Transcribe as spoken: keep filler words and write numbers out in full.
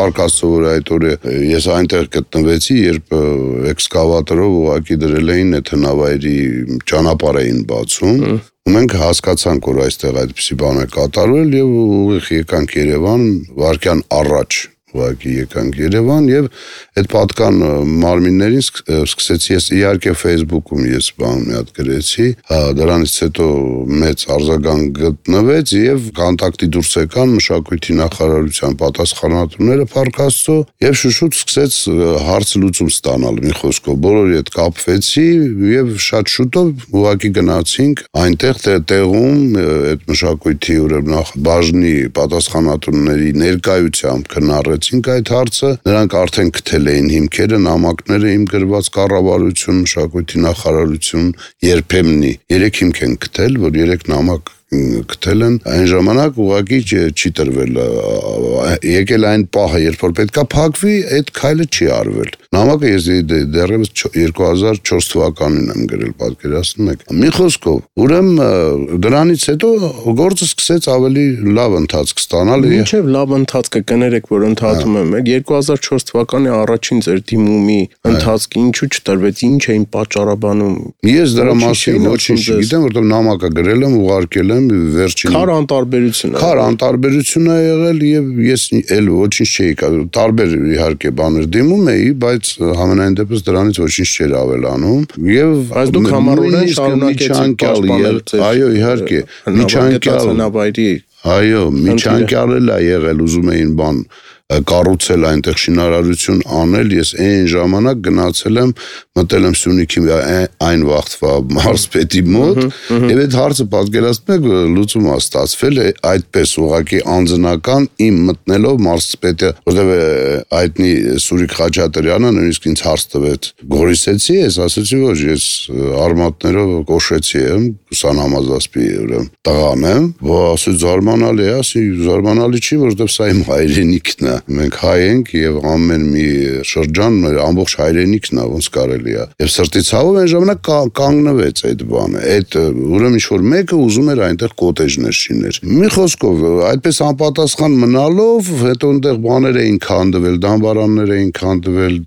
Փառք Աստծո, որ այդ օրը ես այնտեղ գտնվեցի, երբ էքսկավատորով ուղղակի դրել էին այդ հնավայրի ճանապարհ էին բացում։ Ու մենք հասկացանք, որ այստեղ այդպիսի բան է կատարվել եւ ուղիղ եկանք Երևան վարկյան առաջ։ Ուղղակի եկանք Երևան եւ այդ պատկան մարմիններին սկսեցի ես իհարկե Facebook-ում ես բան մի հատ գրեցի, հա դրանից հետո մեծ արձագանք գտնվեց եւ կոնտակտի դուրս եկան մշակույթի նախարարության պատասխանատուները Փառք Աստծո եւ շուշուտ սկսեց հարց լուծում ստանալ մի խոսքով բոլորի հետ կապվեցի եւ շատ շուտով ուղղակի գնացինք այնտեղ տեղում այդ մշակույթի ուրեմն բաժնի պատասխանատուների ներկայությամբ քննարկել այդ հարցը, նրանք արդեն գտել էին հիմքերը, նամակները իմ գրված կառավարություն, մշակույթի նախարարություն, երբեմնի երեք հիմք են գտել, որ երեք նամակ գտել են, այն ժամանակ ուղղակի չի տրվել, եկել այն պահը, երբ որ պետքա փակվի, այդ քայլը չի արվել։ Նամակը ես դեռևս երկու հազար չորս թվականին եմ գրել, պատկերացնում եք։ Մի խոսքով, ուրեմն դրանից հետո գործը սկսեց ավելի լավ ընթացք ստանալ։ Մինչև լավ ընթացքը կներեք, որ ընթացում եմ, երկու հազար չորս թվականի առաջին ձեր դիմումի ընթացքը ինչու չտրվեց, ինչ էին պատճառաբանում։ Ես դրա մասին ոչինչ չգիտեմ, որտեղ նամակը գրել եմ, ուղարկել եմ վերջին Քար անտարբերություն է։ Քար անտարբերություն է եղել եւ ես էլ ոչինչ չէի տարբեր իհարկե բաներ դիմում էի, բայց համենայն դեպս դրանից ոչինչ չէր ավելանում եւ բայց դուք համառորեն շարունակեցիք պաշտպանել ձեր այո իհարկե միջանկյալ այո միջանկյալ էլ է եղել ուզում էին բան կառուցել այնտեղ շինարարություն անել, ես այն ժամանակ գնացել եմ, մտել եմ Սյունիքի այն վաղտվա մարզպետի մոտ, եւ այդ հարցը պատկերացնում եք լուծումը ստացվել է այդպես ուղղակի անձնական իմ մտնելով մարզպետը, որտեղ այդնի Սուրիկ Խաչատրյանը նույնիսկ ինձ հարց տվեց, գորիսեցի ես, ասացի որ ես արմատներով կոշեցի եմ, ուսանամազասպի ուրեմն տղան եմ, որ ասի զարմանալի է, ասի զարմանալի չի, որովհետեւ սա իմ հայրենիքն է Մենք հայ ենք եւ ամեն մի շրջան մեր ամբողջ հայրենիքն է ոնց կարելի է եւ սրտի ցավով այն ժամանակ կանգնվեց այդ բանը այդ ուրեմն ինչ որ մեկը ուզում էր այնտեղ կոտեջներ շիներ մի խոսքով այդպես անպատասխան մնալով հետո այնտեղ բաներ էին քանդվել դամբարաններ էին քանդվել